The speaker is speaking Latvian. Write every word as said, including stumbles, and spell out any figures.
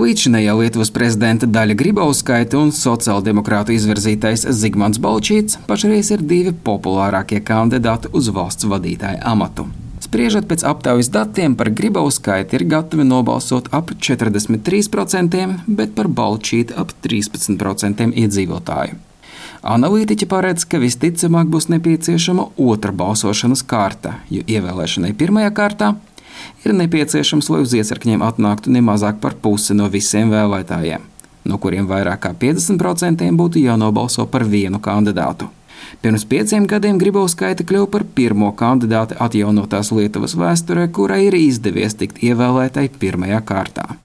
Līdzinējā Lietuvas prezidenta Daļa Grybauskaite un sociāldemokrātu izvirzītais Zigmants Balčītis pašreiz ir divi populārākie kandidāti uz valsts vadītāja amatu. Spriežot pēc aptaujas datiem, par Grybauskaiti ir gatavi nobalsot ap četrdesmit trīs procenti, bet par Balčīti ap trīspadsmit procenti iedzīvotāju. Analītiķi paredz, ka visticamāk būs nepieciešama otra balsošanas kārta, jo ievēlēšanai pirmajā kārtā ir nepieciešams, lai uz iecirkņiem atnāktu nemazāk par pusi no visiem vēlētājiem, no kuriem vairāk kā piecdesmit procenti būtu jānobalso par vienu kandidātu. Pirms pieciem gadiem Grybauskaite kļuva par pirmo kandidāti atjaunotās Lietuvas vēsturē, kurai ir izdevies tikt ievēlētai pirmajā kārtā.